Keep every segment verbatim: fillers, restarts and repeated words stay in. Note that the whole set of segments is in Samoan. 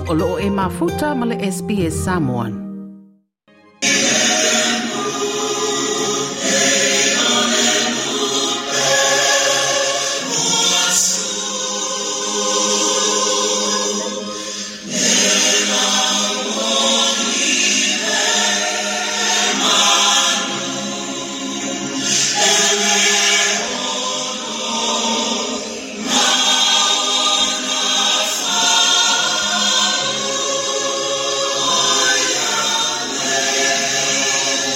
O loo e mafuta ma le S B S Samoan.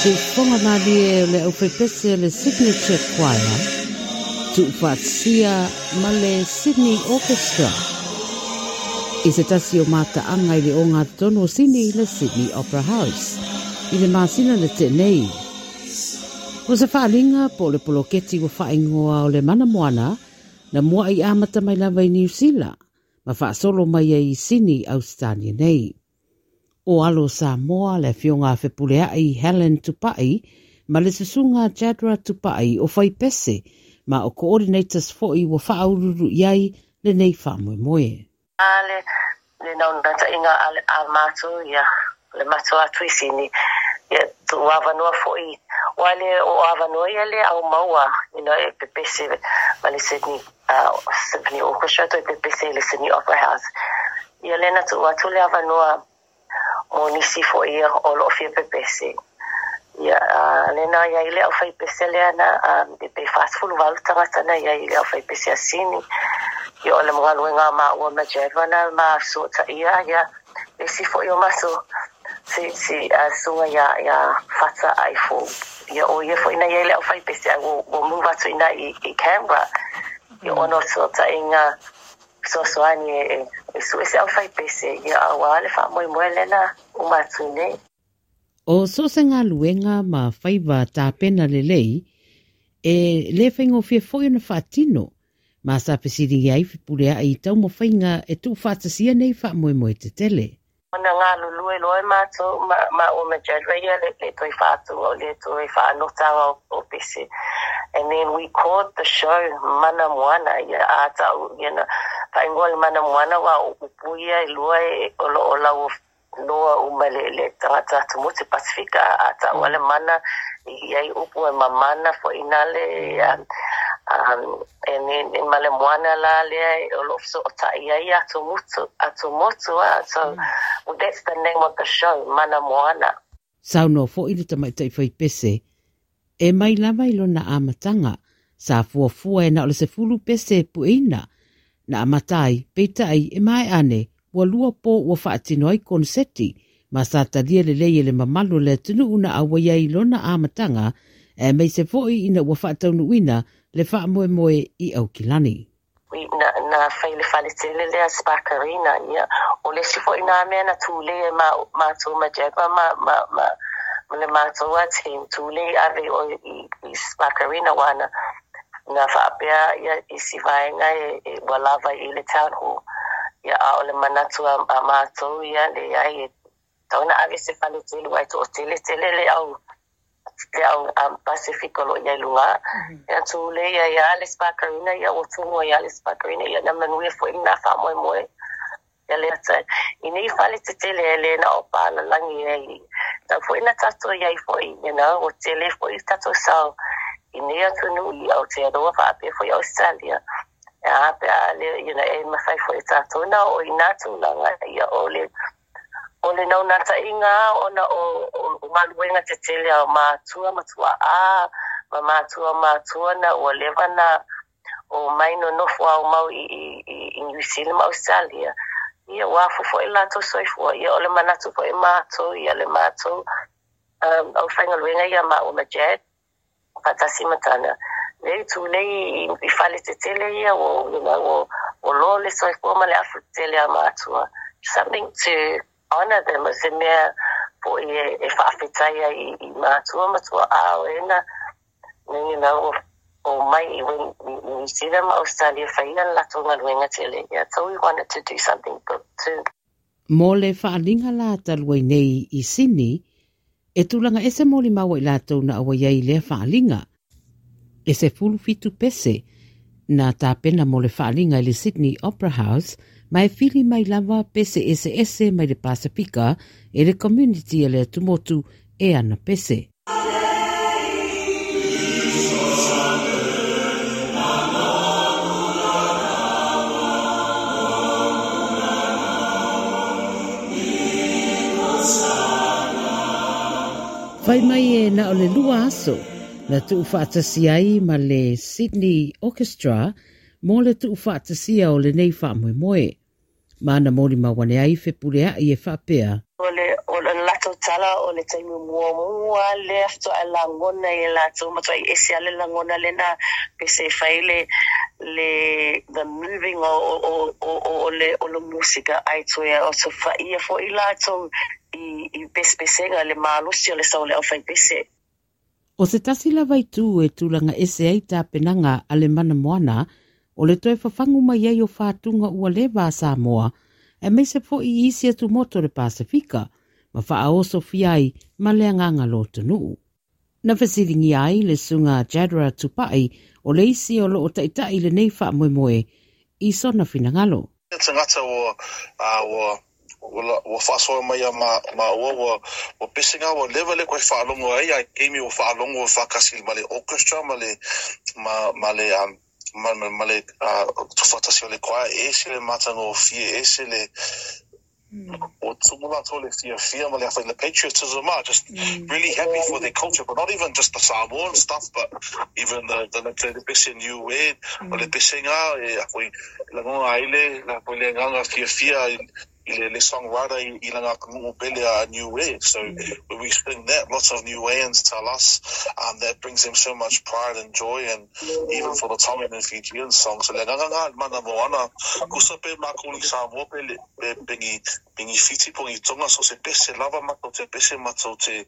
Tuufonga malie o le aufepese le Signature Choir, tuufaatsia ma le Sydney Orchestra. I se tasi o mataanga i le o ngā tonu o Sydney le Sydney Opera House, i le masina le tenei. O se whaalinga po le poloketi wa whaingoa o le mana moana, na mua i amata mai lava i New Zealand, ma whaasolo mai ai i Sydney, Australia nei. O alo Samoa le fionga fepuleai Helen Tupai ma le susunga Jadra Tupai o whaipese ma o coordinators foi wa whaaururu iai le nei whaamoemoe. A le, le naunata inga a, a mātou, ia, le mātou atu i Sini, ia, tu awanua foi, wale o awanua ia le au maua, you know, e pepese ma le Sydney, uh, Symphony Orchestra, to e pepese le Sydney Opera House. Ia le na tu atu le awanua o nisi fo ia o lo fia pepese. Ia, uh, le na ia ile au fai pese le ana, um, e pe fast fulu valu tangata na ia ile au fai pese asini. Ia o le mga ma ua ma jadwa na ma sota ia, ia, e si fo ia maso, si, si, uh, sunga ia, ia fata ai fo. Ia o ia fo ina ia ile au fai pese, ai wo, wo move atu ina i, i Canberra. Ia ono sota inga, sosoani e, e su ese au fai pese, ia awa le wha moi moe lena o matune. O so se ngā luenga ma whaiwa tāpena le lei, e le whaingofia foi ona whaatino, ma sa pesiri ai whipulea i tau mo whainga e tū whaatasia nei wha moe moe te tele. Ona ngā lulue loe mātou, ma, ma o majadra ia le, le toi whaatunga o le toi whaanotanga o, o pese. And then we called the show Mana Moana, ia ātau, you know, whaingoa le Mana Moana wa o upuia i lua e o lo o lau noa uma le, le tangata atu mo te Pasifika, ātau ale mana, i ai upu e mamana fo inale, um, um, and then in male moana la lea o lo so o tai ai atu mutu, atu motu, ah, so mm. well, that's the name of the show, Mana Moana. Saunoa fo i le tamaitai whai pese, e mai lava i lona amatanga, sa fuafua e na o le sefulu pese pueina, na amatai, peitai e mai ane, ua lua po ua whaatino ai konseti, ma sa talia le lei e le mamalu le tunu una awa iai lona amatanga, e mei se foi ina ua whaataunuina le whaamoemoe i Aukilani. Na, na whaile whaletele lea Spark Arena, ia. O le si foi nā mea na tūle e ma, mātou ma jagua, ma, ma, ma, ma le mātou a team tūle ave o i, i Spark Arena wana. Na whaapea ia i si vaenga e, e walava i le town hall. Ia a o le manatu a, a mātou ia le ai e tauna ave se whaletele wai to o tele tele le au te au um, Pasifika lo ia lunga. Ia tūle ia ia le Spark Arena, ia o tungo ia le Spark Arena, ia na manuia fo ina wha moe moe. Ia le ata, i nei whale te tele e le na o pāna langi e i. Tau fo ina tato ia i fo i, you know, o tele fo i tato sao. I nei atunu i Aotearoa whaapea fo i Australia. Ia apea le, you know, e mawhai fo i tato na o i nā tūlanga ia o le o le naunata inga ona o, o, o maluenga te tele au mātua, matua a, ma mātua mātua na o lewa na o maino nofo au mau i, i, i, i New Zealand ma Australia. Ia wafu fo i lato soifua, ia o le manatu fo i mātou, ia le mātou, um, au whaingaluenga ia ma o majad, whatasi matana. Nei tūlei i, i whale te tele ia, o, you know, o, o lo le soifua ma le afu te tele a mātua. Something to honor them as e mea po i e, e whaafetaia i, i mātua, matua ao e na, you know, o, o mai i wen, i New Zealand ma Australia whaina lato ngaluenga tele. Yeah, so we wanted to do something good too. Mō le whaalinga la taluai nei i Sydney, e tūlanga ese mōli maua i lātou na awa iai lea whaalinga. E se fulu fitu pese, Na tapena mo le faaaliga i le Sydney Opera House, ma e fili mai lava pese ese ese mai le Pasifika e le community e le atumotu e ana pese. Fai mai e na o le lua aso, na tuufaatasi ai ma le Sydney Orchestra mo le tuufaatasia o lenei faamoemoe. Ma na moli mawane ai fepuleai e faapea. O le, o le latou tala o le taimi muamua lea faatoa lagona i latou matuai ese lava le lagona lena pese e fai le le the moving o o o o le o le musika ai toe o so faia foi latou i i pesepesega le malosi o le sau o le aufaipese. O se tasi lava itu e tulaga ese ai tapenaga a le Mana Moana, o le toe fafagu mai ai o fatuga ua leva a Samoa, aemaise foi i isi atumotu o le Pasifika, ma faaosofia ai ma le agaga lotonuu. Na fesiligia ai le susuga Jadra Tupai o le isi o loo taitai lenei faamoemoe i sona finagalo. Tagata ua ua ua faasoa mai ia ma ma ua ua ua pesega ua leva le koe faalogo ai ai taimi ua faalogo ua faakasi ma le orchestra ma le ma ma le um, ma, ma, ma le uh, tufatasi o le choir e ese le matagofie ese le o tumu latou le fiafia ma le afai le patriotism ah, just mm. really happy for their culture, but not even just the Samoan stuff, but even the the the, the pese Niue mm. o le pesega e afai lagona ai le la foi le agaga fiafia i i le, le songwriter i, i lana atunuu pele a Niue. So mm. when we sing that, lots of Niueans tell us um, that brings them so much pride and joy, and even for the Tongan and Fijian songs. So le agaga nga Mana Moana, kusa pe makou i Samoa pe le pe pengi pengi Fiti pongi Tonga, so se pese lava matou te pese matou te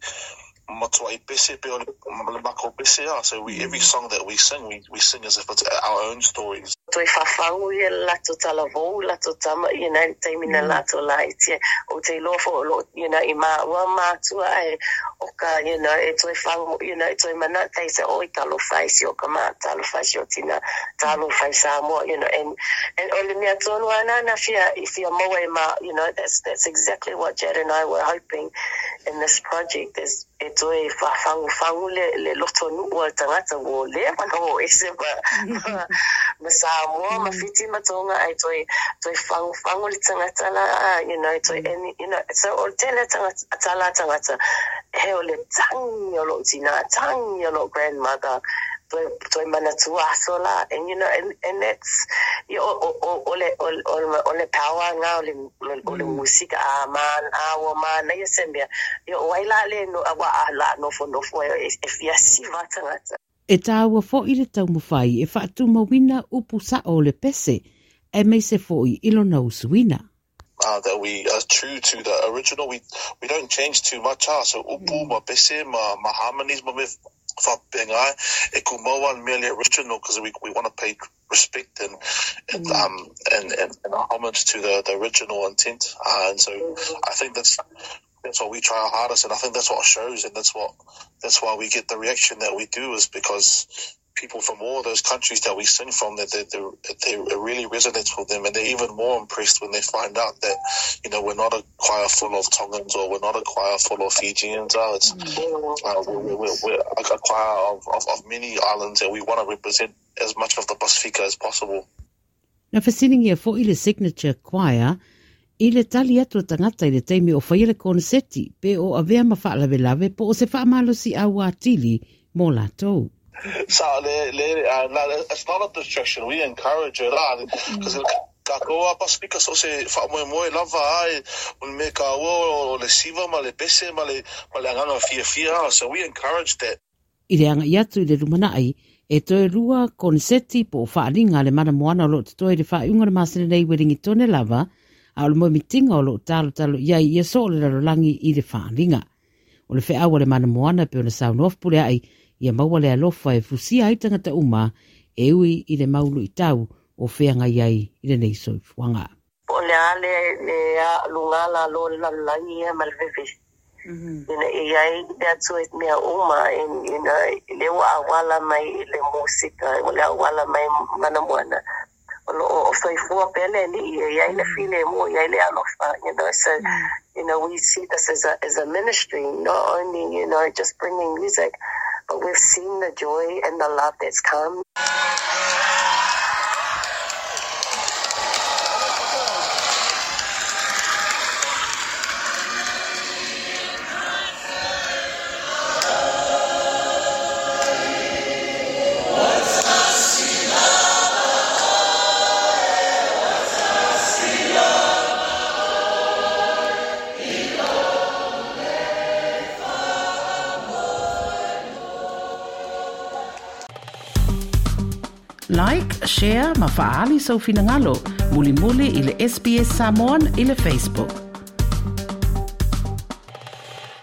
matuai pese pe o le, le makou pese a. So we, every song that we sing, we, we sing as if it's our own stories. Toe fafagu ia le latou talavou latou tama you know taimi na latou laiti o te iloa foi o loo you know i maua matua ae o ka you know e toe fagu you know e toe manatu ai se oi talofa i si o ka ma talofa i si o tina talofa i Samoa you know and and o le mea tonu ana na fia i fia maua e ma you know that's that's exactly what Jad and I were hoping in this project is e toe faafagufagu le le loto nuu o le tagata ua leva na o ese ma ma, ma Samoa ma Fiti ma Tonga ai toe toe fagufagu le tagata la you know toe and you know so o le tele tagata tala tagata he o le tagi o lou tina tagi o lou grandmother toe toe manatua aso la and you know and, and that's o o o o le o o o le power nga o le o le musika a man a ua manaia se mea o ai la le no ua a la nofonofo e e fia siva tagata. E tāua foi le taumafai e faatumauina upu sao o le pese, aemaise foi i lona usuina. Uh, that we are true to the original. We we don't change too much. Ah. So upu, ma pese, ma, ma harmonies, ma me whapengai, e ku mau an mea le original, because we, we want to pay respect and and, mm. um and, and, and homage to the, the original intent. Uh, and so I think that's that's what we try our hardest, and I think that's what shows, and that's what that's why we get the reaction that we do, is because people from all those countries that we sing from, that they, they, they, it really resonates with them, and they're even more impressed when they find out that, you know, we're not a choir full of Tongans or we're not a choir full of Fijians. Uh, it's, uh, we're, we're, we're a choir of, of, of many islands, and we want to represent as much of the Pasifika as possible. Na fesiligia foi le Signature Choir i le tali atu o tagata i le taimi o faia le koneseti pe o avea ma faalavelave po o se faamalosiau atili mo latou. So, le, le, uh, no, it's not a distraction. We encourage it, because mm. kākou a Pasifika so se faamoemoe lava ai o le me kāua o le siva ma le pese ma le, ma le agaga fiafia. So we encourage that. I le aga'i atu i le lumanai, e toe lua koneseti po o faaliga a le Mana Moana o loo totoe i le faaiuga o le masina nei Ueligitone lava, a o le moemitiga o loo talotalo i ai ia soo le lalolagi i le faaliga. O le feau a le Mana Moana pe ona saunoa fepuleai ia maua le alofa e fusia ai tagata uma e ui i le maulu i tau o feagai ai i lenei soifuaga. O le a le le a luga la lo le lalolagi ia ma le vevesi. Mm-hmm. You know, e ai le Atua i mea uma, and, you know, le ua auala mai i le musika, o le auala mai manamoana. O lo o soifua pea le Alii, e iai le filemu, e iai le alofa, you know, so, mm. you know, we see this as a, as a ministry, not only, you know, just bringing music, but we've seen the joy and the love that's come. Like, share, ma faali sau finagalo. Mulimuli i le S B S Samoan i le Facebook.